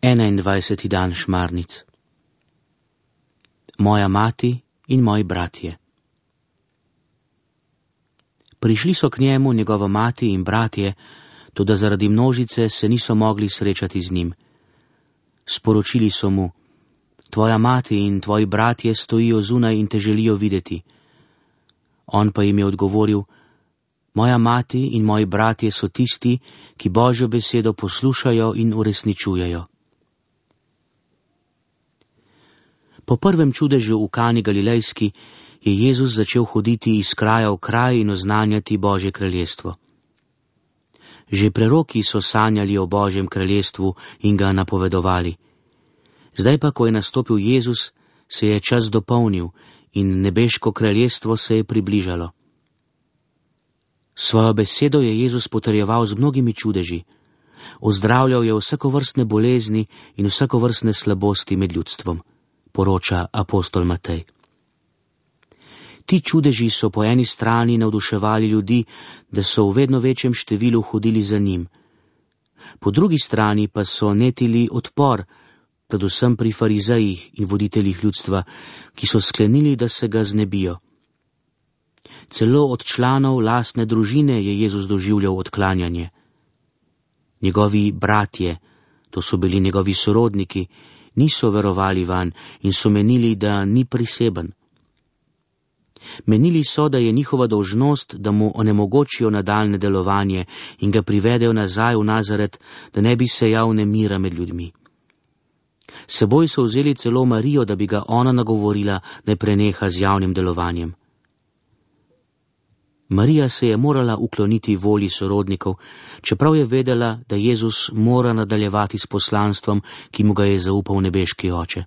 21. dan Šmarnic. Moja mati in moji bratje. Prišli so k njemu njegova mati in bratje, toda zaradi množice se niso mogli srečati z njim. Sporočili so mu: tvoja mati in tvoji bratje stojijo zunaj in te želijo videti. On pa jim je odgovoril: moja mati in moji bratje so tisti, ki Božjo besedo poslušajo in uresničujejo. Po prvem čudežu v Kani Galilejski je Jezus začel hoditi iz kraja v kraj in oznanjati Božje kraljestvo. Že preroki so sanjali o Božjem kraljestvu in ga napovedovali. Zdaj pa, ko je nastopil Jezus, se je čas dopolnil in nebeško kraljestvo se je približalo. Svojo besedo je Jezus potrjeval z mnogimi čudeži. Ozdravljal je vsakovrstne bolezni in vsakovrstne slabosti med ljudstvom, poroča apostol Matej. Ti čudeži so po eni strani navduševali ljudi, da so v vedno večjem številu hodili za njim. Po drugi strani pa so netili odpor, predvsem pri farizejih in voditeljih ljudstva, ki so sklenili, da se ga znebijo. Celo od članov lastne družine je Jezus doživljal odklanjanje. Njegovi bratje, to so bili njegovi sorodniki, niso verovali vanj in so menili, da ni priseben. Menili so, da je njihova dolžnost, da mu onemogočijo nadaljne delovanje in ga privedejo nazaj v Nazaret, da ne bi sejal nemira med ljudmi. S seboj so vzeli celo Marijo, da bi ga ona nagovorila, naj preneha z javnim delovanjem. Marija se je morala ukloniti volji sorodnikov, čeprav je vedela, da Jezus mora nadaljevati s poslanstvom, ki mu ga je zaupal nebeški Oče.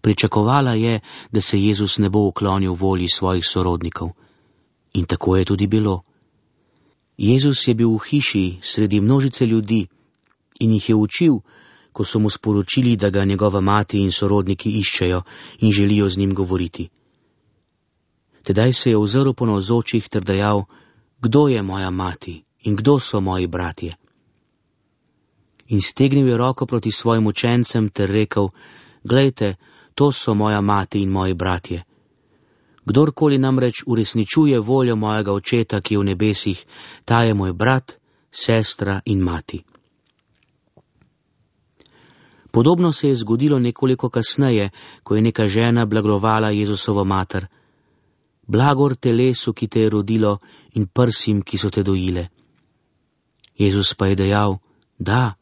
Pričakovala je, da se Jezus ne bo uklonil volji svojih sorodnikov. In tako je tudi bilo. Jezus je bil v hiši sredi množice ljudi in jih je učil, ko so mu sporočili, da ga njegova mati in sorodniki iščejo in želijo z njim govoriti. Tedaj se je ozrl po navzočih ter dejal: kdo je moja mati in kdo so moji bratje? In stegnil je roko proti svojim učencem ter rekel: glejte, to so moja mati in moji bratje. Kdorkoli namreč uresničuje voljo mojega Očeta, ki je v nebesih, ta je moj brat, sestra in mati. Podobno se je zgodilo nekoliko kasneje, ko je neka žena blaglovala Jezusovo mater: blagor telesu, ki te je rodilo, in prsim, ki so te dojile. Jezus pa je dejal: da,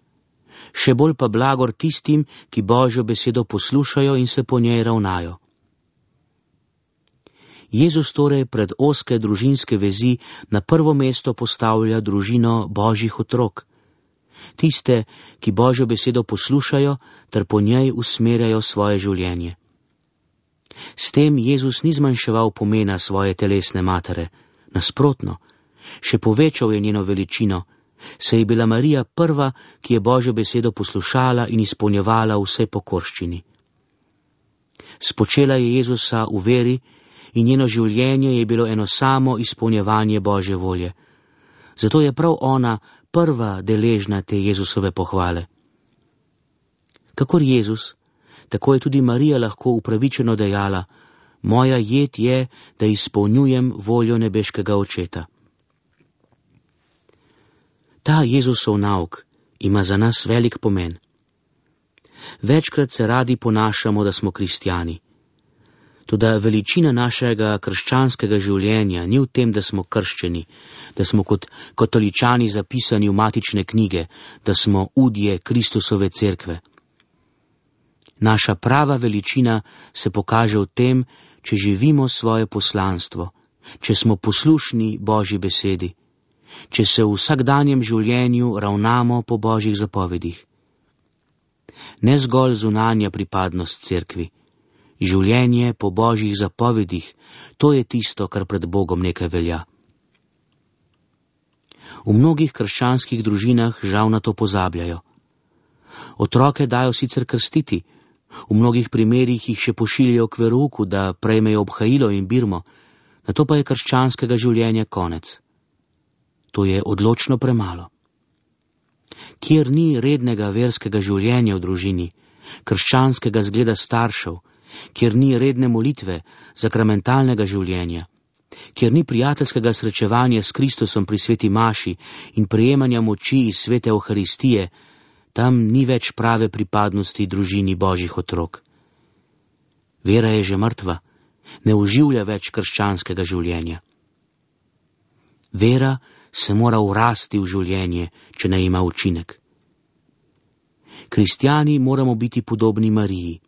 še bolj pa blagor tistim, ki Božjo besedo poslušajo in se po njej ravnajo. Jezus torej pred ozke družinske vezi na prvo mesto postavlja družino Božjih otrok, tiste, ki Božjo besedo poslušajo ter po njej usmerjajo svoje življenje. S tem Jezus ni zmanjševal pomena svoje telesne matere, nasprotno, še povečal je njeno veličino, saj je bila Marija prva, ki je Božjo besedo poslušala in izpolnjevala vse pokorščini. Spočela je Jezusa v veri in njeno življenje je bilo eno samo izpolnjevanje Božje volje. Zato je prav ona prva deležna te Jezusove pohvale. Kakor Jezus, tako je tudi Marija lahko upravičeno dejala: moja jed je, da izpolnjujem voljo nebeškega Očeta. Ta Jezusov nauk ima za nas velik pomen. Večkrat se radi ponašamo, da smo kristjani. Toda veličina našega krščanskega življenja ni v tem, da smo krščeni, da smo kot katoličani zapisani v matične knjige, da smo udje Kristusove cerkve. Naša prava veličina se pokaže v tem, če živimo svoje poslanstvo, če smo poslušni Božji besedi, če se v vsakdanjem življenju ravnamo po Božjih zapovedih. Ne zgolj zunanja pripadnost cerkvi, življenje po Božjih zapovedih, to je tisto, kar pred Bogom nekaj velja. V mnogih krščanskih družinah žal na to pozabljajo. Otroke dajo sicer krstiti, v mnogih primerih jih še pošiljajo k verouku, da prejmejo obhajilo in birmo, nato pa je krščanskega življenja konec. To je odločno premalo. kjer ni rednega verskega življenja v družini, krščanskega zgleda staršev, kjer ni redne molitve, sakramentalnega življenja, kjer ni prijateljskega srečevanja s Kristusom pri sveti maši in prejemanja moči iz svete Euharistije, tam ni več prave pripadnosti družini Božjih otrok. Vera je že mrtva, ne oživlja več krščanskega življenja. Vera se mora vrasti v življenje, če ne ima učinek. Kristjani moramo biti podobni Mariji.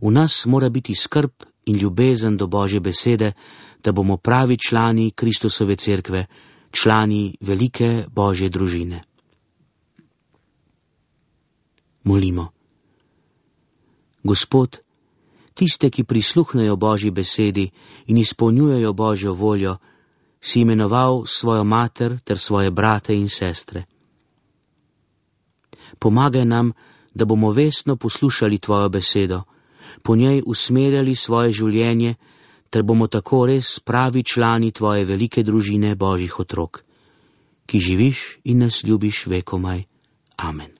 V nas mora biti skrb in ljubezen do Božje besede, da bomo pravi člani Kristusove cerkve, člani velike Božje družine. Molimo. Gospod, tiste, ki prisluhnejo Božji besedi in izpolnjujejo Božjo voljo, si imenoval svojo mater ter svoje brate in sestre. Pomagaj nam, da bomo vestno poslušali tvojo besedo, po njej usmerjali svoje življenje, ter bomo tako res pravi člani tvoje velike družine Božjih otrok, ki živiš in nas ljubiš vekomaj. Amen.